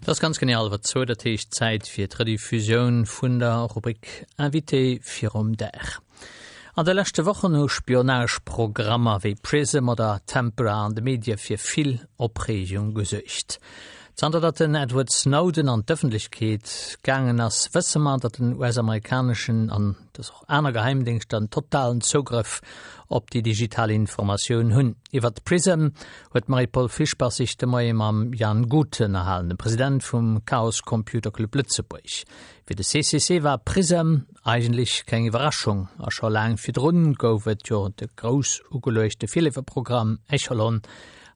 Et ass ganz genee hallwer zwou, dat heescht Zäit fir d'Rediffusioun vun der Rubrik Invité virum Dag. An de leschte Wochen hu Spionageprogrammer wéi Prism oder Tempora an de Medie fir vill Opreegung gesuergt. Zanter datt den Edward Snowden an d'Ëffentlechkeet gaangen ass, wësse mer, datt den US-amerikaneschen an dass och aner Geheimdéngschter en totalen Zougrëff op déi digital Informatioun hunn. Iwwert Prism huet d'Marie-Paule Fischbach sech de Moie mam Jan Guth ënnerhalen, dem President vum Chaos Computer Club Lëtzebuerg. Fir de CCC war Prism eigentlech keng Iwwerraschung a scho laang virdrun gouf et jo de grouss ugeluechte Virleeferprogramm Echelon,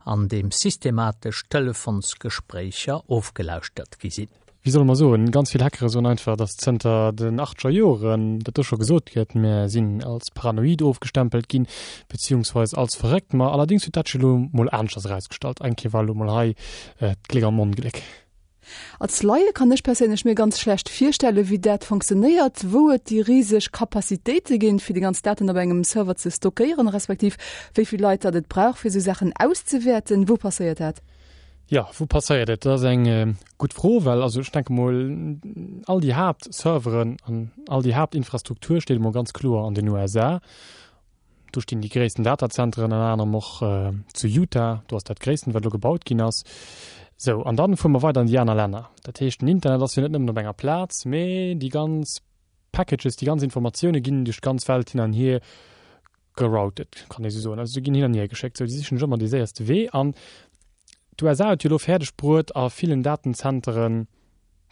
an deem systematesch Telefonsgespréicher ofgelauschtert gi sinn. Wéi solle mer soen, ganz vill Hackere soen einfach, datt zënter den achtzeger Joren dat do scho gesot gëtt, mir sinn als paranoid ofgestempelt ginn, beziehungsweis als verréckt. Ma allerdéngs huet dat sech elo mol aneschters erausgestallt. Eng Kéier war elo mol hei d'Gléck am Ongléck. Als Laie kann ech perséinlech mir ganz schlecht virstellen, wéi dat fonctionnéiert, wou et déi riseg Capacitéite ginn, fir déi ganz Daten op engem Server ze stockéieren, respektiv wéi vill Leit datt et brauch, fir esou Saachen auszewäerten. Wou passéiert dat? Jo, wou passéiert et? Dat ass eng gutt Fro, well also ech denke mol, all déi Haaptserveren an all déi Haaptinfrastruktur steet emol ganz kloer an den USA. Do stinn déi gréissten Datazenteren, ënner anerem och zu Utah, do ass dat gréissten, wat elo gebaut ginn ass. Sou, an dann fuere mer weider an déi aner Länner. Dat heescht, den Internet ass jo net nëmmen op enger Plaz, mee déi ganz Packages, déi ganz Informatioune ginn duerch d'ganz Welt hin an hier geroutet, kann ee sou soen. Also se ginn hin an hier geschéckt. Sou, déi sichen sech ëmmer dee séierste Wee. An d'USA huet jo elo fäerdeg bruet, a villen Datenzenteren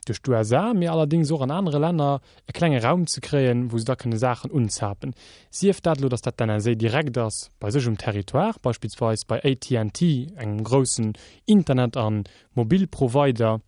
duerch d'USA, mee allerdéngs och an anere Länner, e klenge Raum ze kréien, wou se da kënne Saachen unzapen. Sief dat elo, datt dat d'NSA direkt ass bei sech um Territoire, beispillsweis bei AT&T, engem groussen Internet a Mobilprovider,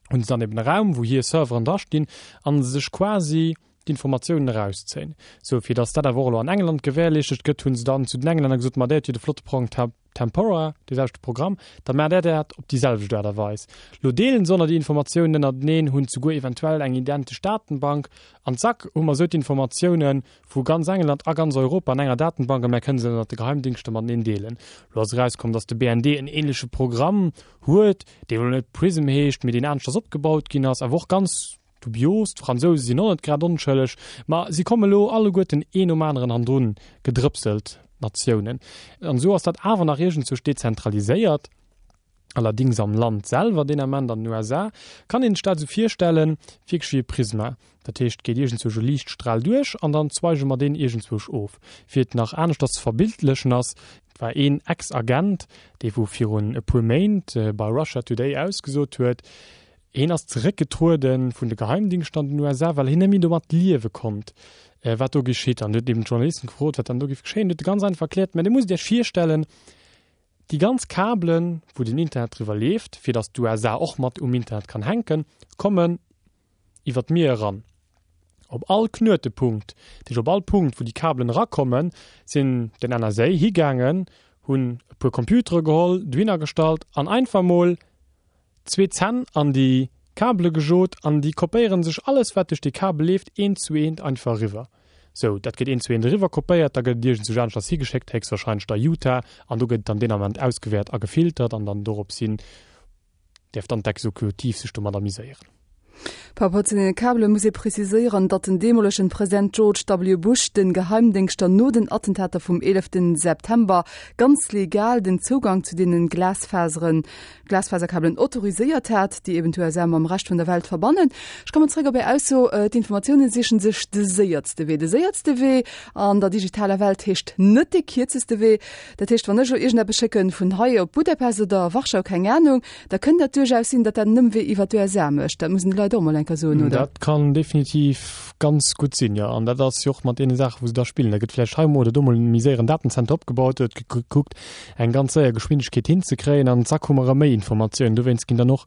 hunn se dann eben e Raum, wou hir Serveren dra stinn a se sech quasi d'Informatiounen erauszéien. Sou, fir datt dat awer och elo an England gewährleeschtet gëtt, hunn se dann zu den Englänner gesot, Ma där huet jo de flotte Programm Tempora, dee selwechte Programm, da maacht där dat op déi selwecht Aart a Weis. Lo deelen se ënner déi Informatiounen ënnerteneen, hunn souguer eventuell eng identesch Datenbank an zack hu mer esou d'Informatiounen vu ganz England a ganz Europa an enger Datenbank a mär kënne se ënnert de Geheimdingschter mateneen deelen. Lo ass erauskomm, datt de BND en ähnleche Programm huet, dee elo net Prism heescht, mee deen aneschters opgebaut ginn ass, awer och ganz dubios. D'Fransouse sinn och net grad onschëlleg, ma si komme lo alleguerten een nom aneren hannendrun gedrëpselt, d'Natiounen. An esou ass dat awer nach iergendzwousch dezentraliséiert. Allerdings am Land selwer, deen Ament an den USA, kann een sech dat esou virstellen, wierklech wéi e Prisma. Dat heescht, et geet iergendzwousch e Liichtstral duerch an dann zweige mer deen iergendzwousch of. Fir et nach aneschters ze verbildlechen ass, et war een Ex-Agent, dee wou virun e puer Méint bei Russia Today ausgesot huet, hien ass zeréckgetruede vun de Geheimdingschter an den USA, well hien net méi domat liewe konnt, wat do geschitt. An huet eben d'Journalisten gefrot, wat dann do géif geschéien. Huet e ganz einfach erkläert, Mä Dir musst Iech virstellen, Déi ganz Kabelen, wou den Internet driwwer leeft, fir datt d'USA och mat um Internet kann hänken, kommen iwwer d'Mier eran. Op all Knuetepunkt, dat heescht op all Punkt, wou déi Kabelen erakommen, sinn den NSA higaangen, hunn e puer Computere geholl, dohinner gestallt an einfach mol zwee Zänn an déi Kabele gejot an déi kopéieren sech alles wat duerch déi Kabel leeft eent zu eent einfach eriwwer. Sou, dat gëtt eent zu eent eriwwer kopéiert, da gëtt et iergendzwousch aneschters higeschéckt, héchstwahrscheinlech da Utah, an do gëtt et dann deen Ament ausgewäert a gefiltert an dann dorops hin däerf dann d'Exekutiv sech domat amuséieren. Par rapport zu deene Kabele muss ee preziséieren, datt den deemolegen President George W. Bush de Geheimdéngschter no den Attentater vum 11 September ganz legal den Zougang zu deenen Glasfaseren Glasfaserkabelen autoriséiert hat, déi eben d'USA mam Rescht vun der Welt verbannen. Ech kommen zréck op Är Ausso, d'Informatiounen sichen sech de séiertste Wee. De séiertste Wee an der digitaler Welt heescht net dee kierzeste Wee. Dat heescht, wann ech elo iergendeppes schécken vun hei op Budapest oder Warschau, keng Anung, da kënnt dat duerchaus sinn, datt dat en Ëmwee iwwer d'USA mécht. Dat mussen déi Leit och emol eng Kéier soen, oder? Dat kann definitiv ganz gutt sinn, jo. An dat ass jo och mat deene Saachen, wou se da spillen. Da gëtt vläicht hei emol oder do emol e méi séieren Datenzenter opgebaut, et gëtt gekuckt, eng ganz séier Geschwindegkeet hinzekréien an zack hu mer erëm méi Informatiounen. Dowéinst ginn dann och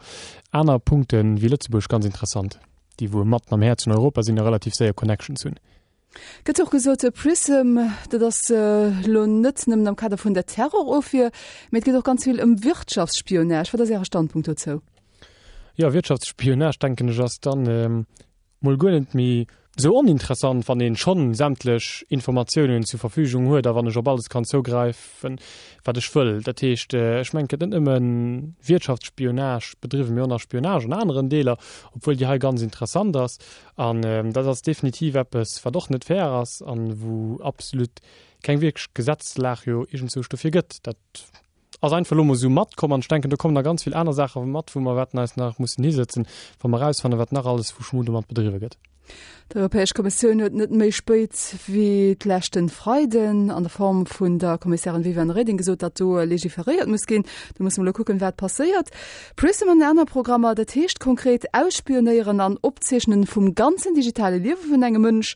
aner Punkte wéi Lëtzebuerg ganz interessant, déi wou matten am Häerz vun Europa sinn a relativ séier Connections hunn. Gëtt och gesot, PRISM, dat ass elo net nëmmen am Kader vun der Terrorofwier, mee et geet och ganz vill ëm Wirtschaftsspionage. Wat ass Äre Standpunkt dozou? Jo, Wirtschaftsspionage, denken ech, ass dann mol guer net méi. Sou oninteressant, wann een schonn sämtlech Informatiounen zur Verfügung huet a wann ech op alles kann zougräifen, wat ech wëll. Dat heescht, ech mengen, et gëtt net nëmme Wirtschaftsspionage bedriwwen, mee och nach Spionage an aneren Deeler, obwuel déi hei ganz interessant ass. An dat ass definitiv eppes, wat och net fair ass an wou absolut keng wierklech Gesetzlag jo iergendzwousch dofir gëtt. Dat ass einfach elo mol esou matkomm an ech denken, do kommen nach ganz vill aner Saache mat, wou mer wäerten eis nach mussen hisëtzen, wa mer erausfannen, wat nach alles vu Schmu domat bedriwwe gëtt. D'Europäesch Kommissioun huet net méi spéit wéi d'leschten Freiden an der Form vun der Kommissärin Viviane Reding gesot, datt do legiferéiert muss ginn. Do musse mer elo kucken, wat passéiert. Prism an aner Programmer, dat heescht konkret Ausspionéieren an Opzeechnen vum ganzen digitale Liewe vun engem Mënsch.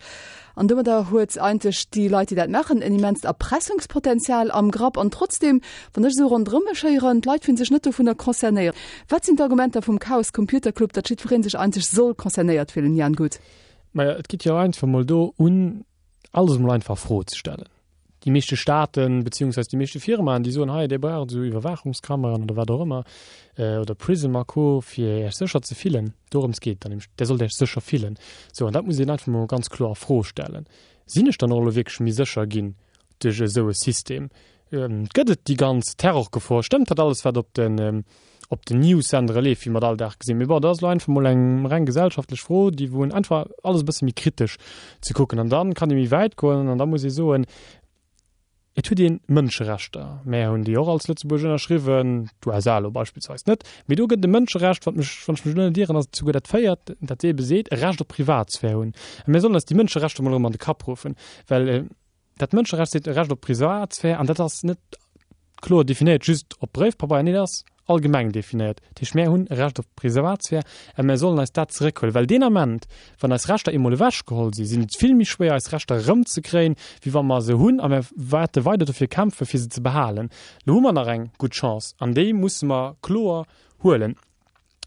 An domadder huet eigentlech déi Leit, déi dat maachen, en immenst Erpressungspotenzial am Grapp. An trotzdem, wann ech esou ronderëm mech héieren, d'Leit fillen sech net dovunner concernéiert. Wat sinn d'Argumenter vum Chaos Computer Club, datt jiddweree sech eigentlech soll concernéiert fillen, Jan Guth? Maja, et geet jo einfach emol do un, alles emol einfach a Fro ze stellen. Déi meeschte Staaten, beziehungsweise déi meeschte Firmaen, déi soen, hei, Dir braucht esou Iwwerwaachungskameraen oder wat och ëmmer, oder Prism a Co. Fir Iech sécher ze fillen. Dorëms geet et dann nämlech, Dir sollt Iech sécher fillen. Sou, an dat muss een einfach emol ganz kloer a Fro stellen. Sinn ech dann och elo wierklech méi sécher ginn duerch esou e System? Gëtt et déi ganz Terrorgefor? Stëmmt dat alles, wat op den op den News-Sendere leeft, wéi mer et all Dag gesinn. Mee bon, dat ass elo einfach mol eng reng gesellschaftlech Fro, déi wou een einfach alles e bësse méi kritesch ze kucken. An dann kann ee méi wäit goen an da muss ee soen, et huet ee Mënscherechter. Mär hunn déi och als Lëtzebuerg ënnerschriwwen, d'USA elo beispillsweis net. Mee do gëtt et e Mënscherecht, wat mech, wann ech mech elo net ieren, ass et souguer dat véiert, dat eebe seet, e Recht op Privatsphär hunn. A mir sollen eis déi Mënscherechter mol erëm an de Kapp ruffen, well Dat Mënscherecht seet e Recht op Privatsphär an dat ass net kloer definéiert just op Bréifpabeier, nee dat ass allgemeng definéiert. Dat heescht, mär hunn e Recht op Privatsphär a mär sollen eis dat zeréckhuelen, well deen Ament, wann eis Rechter eemol ewechgeholl sinn, sinn et vill méi schwéier eis Rechter erëmzekréien, wéi wa mer se hunn a mär wäerte weider dofir kämpfen, fir se ze behalen. Lo hu mer nach eng gutt Chance an déi musse mer kloer huelen.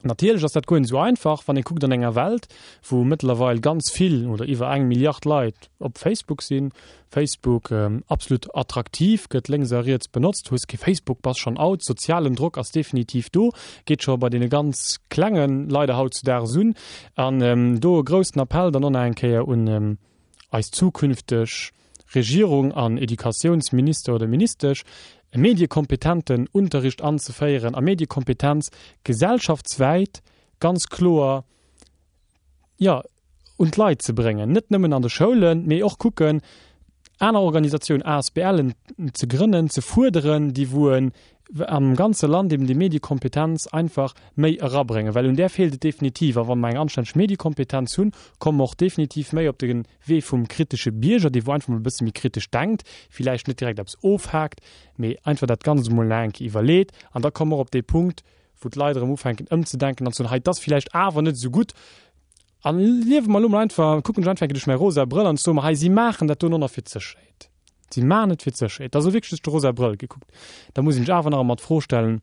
Natierlech ass dat guer net esou einfach, wann ee kuckt an enger Welt, wou mëttlerweil ganz vill oder iwwer eng Milliard Leit op Facebook sinn. Facebook absolut attraktiv, gëtt lénks a riets benotzt. Hues kee Facebook, bass schonn out. Sozialen Drock ass definitiv do, geet scho bei deene ganz Klengen leider hautzudaags un. An do e groussen Appell dann och nach eng Kéier un eis zukünfteg Regierung an Educatiounsminister oder Ministesch, e mediekompetenten Unterricht anzeféieren a Mediekompetenz gesellschaftswäit ganz kloer, jo, un d'Leit ze bréngen, net nëmmen an de Schoulen, mee och kucken, aner Organisatiounen, ASBLen ze grënnen, ze fuerderen, déi wou en am ganze Land eben déi Mediekompetenz einfach méi erabréngen, well un där feelt et definitiv. A wa mer eng anstänneg Mediekompetenz hunn, komme mer och definitiv méi op de Wee vum kritesche Bierger, dee wou einfach mol e bësse méi kritesch denkt, villäicht net direkt eppes ofhaakt, mee einfach dat Ganzt emol nach eng Kéier iwwerleet. An da komme mer och op dee Punkt, wou d'Leit erëm ufänken ëmzedenken an ze soen, hei, 't ass villäicht awer net esou gutt. A liewe mer elo mol einfach, kucken ech einfach eng Kéier duerch mäi rosa Brëll an soe mer, hei, si maachen dat do no nach fir d'Sécherheet. Si maachen et fir d'Sécherheet. Dat ass elo wierklech duerch de rosa Brëll gekuckt. Da muss een sech awer nach ëmmer d'Fro stellen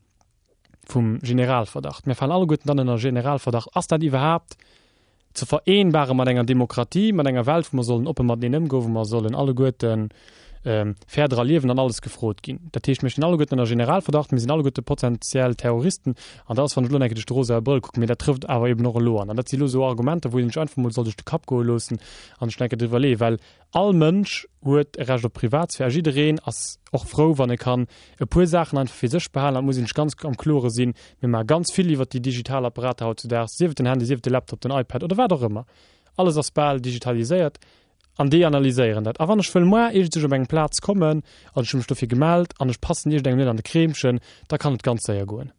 vum Generalverdacht. Mir falen alleguerten dann ënner Generalverdacht. Ass dat iwwerhaapt ze vereenbare mat enger Demokratie, mat enger Welt, wou mer sollen oppe mateneen ëmgoen, wou mer sollen alleguerten fair dra liewen an alles gefrot ginn. Dat heescht, mir stinn alleguerten ënner Generalverdacht, mir sinn alleguerte potenziell Terroristen. An dat ass, wann ech elo nach eng Kéier duerch de rosae Brëll kucken, mee dat trëfft awer eben och elo an. An dat si elo esou Argumenter, wou een sech einfach emol soll duerch de Kapp goe loossen an sech nach eng Kéier driwwer leeën, well all Mënsch huet e Recht op Privatsphär a jiddereen ass och frou, wann e kann e puer Saachen einfach fir sech behalen. An et muss een sech ganz am Klore sinn, mir maache ganz vill iwwert déi digital Apparater hautzudaags, sief et den Handy, sief et de Laptop, den iPad oder wat och ëmmer. Alles ass bal digitaliséiert an déi analyséieren dat. A wann ech wëll moar iergendsech op eng Plaz kommen an ech hu mech dofir gemellt an ech passen iergendengem net an de Kreemchen, da kann et ganz séier goen.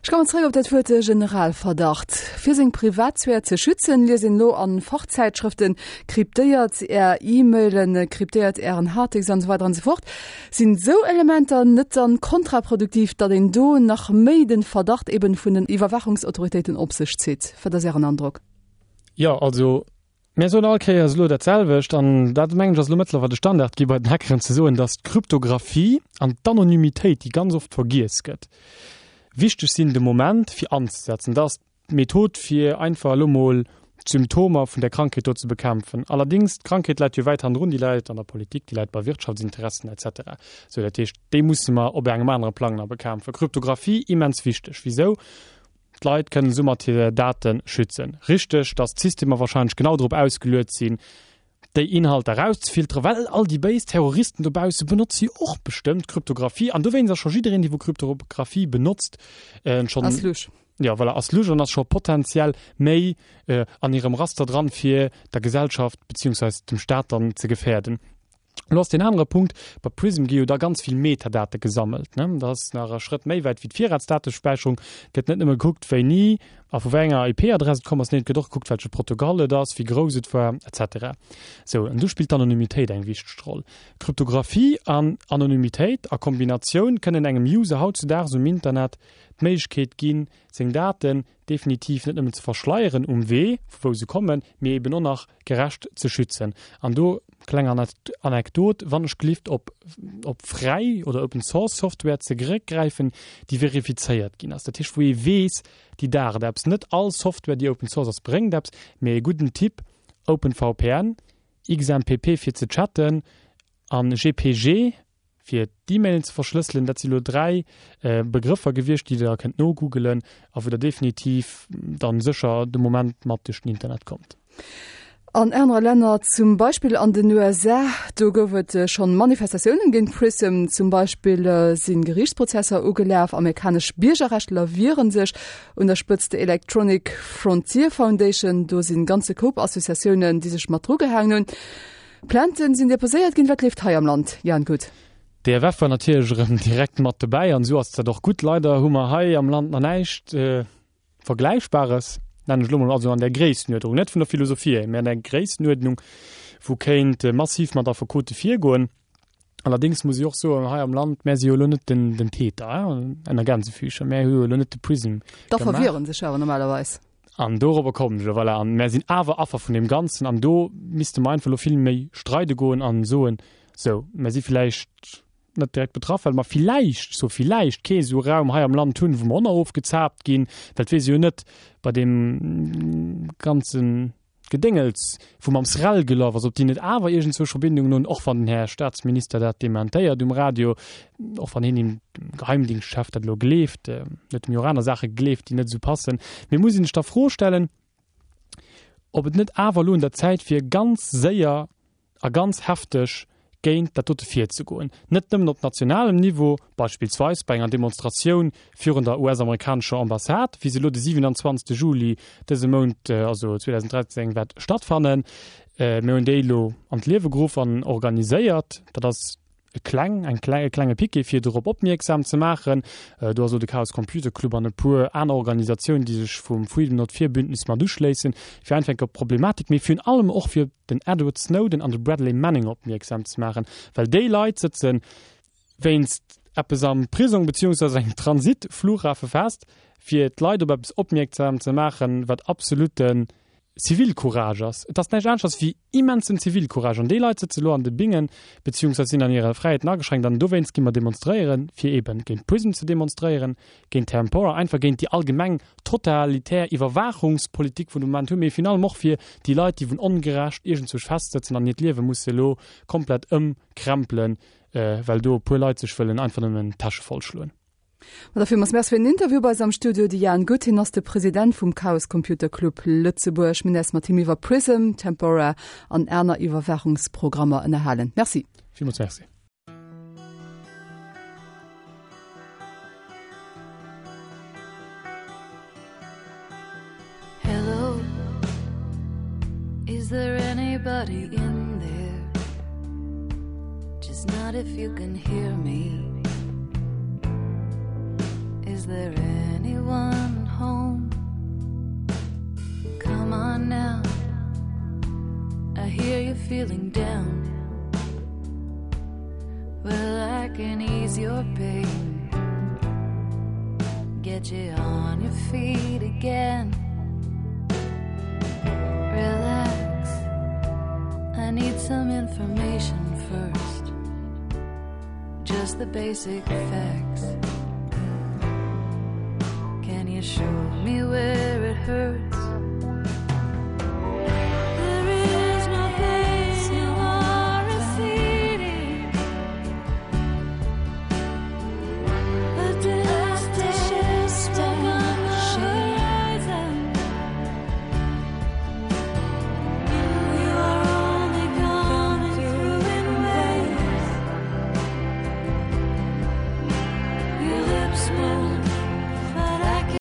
Ech kommen zréck op dat Wuert Generalverdacht. Fir seng Privatsphär ze schützen, liest een elo a Fachzäitschrëften, Kryptéiert Är E-Mailen, kryptéiert Ären Harddisk an esou weider an esou fort. Sinn esou Elementer net dann kontraproduktiv, datt een do nach méi den Verdacht eben vun den Iwwerwaachungsautoritéiten op sech zitt? Wat ass Ären Androck? Jo, also Mir soen all Kéiers elo dat selwecht, an dat, mengen ech, ass elo mëttlerweil de Standard gi bei den Hackeren, ze soen, datt d'Kryptographie an d'Anonymitéit, déi ganz oft vergiess gëtt, wichteg sinn de Moment fir anzesetzen. Dat ass d'Method fir einfach elo mol d'Symptomer vun där Krankheet do ze bekämpfen. Allerdéngs, d'Krankheet läit jo wäit hannendrun, déi läit an der Politik, déi läit bei Wirtschaftsinteressen et cetera. Sou, dat heescht, déi musse mer op engem anere Plang nach bekämpfen. Kryptographie, immens wichteg. Wisou? D'Leit kënnen soumat hir Date schützen. Richteg, datt d'Systemer warscheinlech genau drop ausgeluet sinn, déi Inhalter erauszefilteren, well all déi béis Terroristen dobausse benotze jo och bestëmmt Kryptographie an dowéinst ass scho jiddereen, dee wou Kryptographie benotzt, schonn. Ass lusch. Jo, voilà, ass lusch an ass scho potenziell méi an hirem Raster dran, fir der Gesellschaft beziehungsweis dem Staat dann ze gefäerden. Lo ass deen anere Punkt, bei Prism gi jo da ganz vill Metadate gesammelt, ne? Dat ass nach e Schrëtt méi wäit wéi d'Virratsdatespäicherung. Gëtt net nëmme gekuckt, wéini a vu wéi enger IP-Adress et komm ass, nee, et gëtt och gekuckt, welche Protokoll et ass, wéi grouss et war, et cetera. Sou, an do spillt d'Anonymitéit eng wichteg Roll. Kryptographie an Anonymitéit a Kombinatioun kënnen engem User hautzudaags um Internet d'Méiglechkeet ginn, seng Daten definitiv net nëmmen ze verschleieren um Wee, vu wou se kommen, mee eben och nach gerecht ze schützen. An do, kleng Anekdot, wann ech gelift op op fräi oder Open Source Software zeréckgräifen, déi verifizéiert ginn ass, dat heescht wou ee weess, déi daacht eppes. Net all Software déi Open Source ass bréngt eppes, mee e gudden Tipp, OpenVPN, XMPP fir ze chatten an GPG, fir d'E-Mailen ze verschlësselen. Dat si lo 3 Begrëffer gewiescht, déi der kënnt nogoogelen a wou der definitiv dann sécher de Moment mat duerch den Internet kommt. An anere Länner, zum Beispill an den USA, do gouf et schonn Manifestatiounen géint PRISM. Zum Beispill si Geriichtsprozesser ugelaf. Amerikanesch Biergerrechtler wiere sech, un der Spëtzt d'Electronic Frontier Foundation. Do si ganze Koup Associatiounen, déi sech mat drugehaangen hunn. Plainten sinn deposéiert ginn. Wat leeft hei am Land, Jan Guth? D'EFF war natierlech erëm direkt mat dobäi an esou ass dat och gutt. Leider hu mer hei am Land nach näischt Vergläichbares, nennen ech elo mol, also an där Gréissenuerdnung, net vun der Philosophie hier, mä an där Gréissenuerdnung, wou kéint massiv mat Affekote virgoen. Allerdéngs muss ech och soen, hei am Land, mär si jo elo net den, den Täter, ënner Gänsefüßchen, mär hu jo elo net de Prism gemaach. D'Affer wieren sech awer normalerweis. An dorobber kommen ech elo, voilà. An mär sinn awer Affer vun deem Ganzen. An do misste mer einfach elo vill méi streide goen an soen, sou, mär si villäicht net direkt betraff, well mer villäicht, sou villäicht, kee sou Raum hei am Land hunn, wou mer och nach ofgezaapt ginn, well et weess ee jo net bei deem ganzen Gedéngels, wou mam SREL gelaf ass, ob déi net awer iergendzwousch Verbindungen hunn, och wann den Här Staatsminister dat dementéiert um Radio, och wann hien dem Geheimdingschtchef dat elo gleeft, en huet em jo och aner Saache gegleeft, déi net esou passen. Mee muss een sech da Fro stellen, ob et net awer elo un der Zäit wier, ganz séier a ganz hefteg géint dat dote virzegoen, net nëmmen op nationalem Niveau, beispillsweis bei enger Demonstratioun virun der US-amerikanescher Ambassade, wéi se elo de 27. Juli dëse Mount, also 2013, wäert stattfannen. Mir hunn déi elo an d'Liewe geruff an organiséiert. Dat ass e kleng, eng kleng, e klenge Piquet, fir dorop opmierksam ze maachen. Do ass elo de Chaos Computer Club an e puer aner Organisatiounen, déi sech vum Freedom Not Fear Bündnis mat uschléissen, fir einfach eng Kéier op d'Problematik, mee virun allem och fir den Edward Snowden an de Bradley Manning opmierksam ze maachen, well déi Leit sëtze wéinst eppes am Prisong beziehungsweise engem Transitflughafe fest, fir d'Leit op eppes opmierksam ze maachen, wat absoluten Zivilcourage ass. Et ass näischt aneschters wéi immensen Zivilcourage. An déi Leit sëtze lo an de Bingen, beziehungsweise sinn an hire Fräiheeten ageschränkt. An dowéinst gi mer demonstréieren, fir eeben géint Prism ze demonstréieren, géint Tempora, einfach géint déi allgemeng totalitär Iwwerwaachungspolitik vun de Moment hunn, mee virun allem och fir déi Leit, déi vun ongerecht iergendzwousch festsëtzen an hiert Liewe musse elo komplett ëmkrempelen, well do e puer Leit sech wëllen einfach nëmmen d'Täsche vollschloen. Ma da villmools Merci fir den Interview bei eis am Studio, de Jan Guth. Hien ass de President vum Chaos Computer Club Lëtzebuerg. Mir hunn eis mat him iwwer Prism, Tempora an aner Iwwerwaachungsprogrammer ënnerhalen. Merci. Villmools Merci. Hello Is there anybody in there Just not if you can hear me Is there anyone home Come on now I hear you feeling down Well I can ease your pain Get you on your feet again Relax I need some information first Just the basic facts Can you show me where?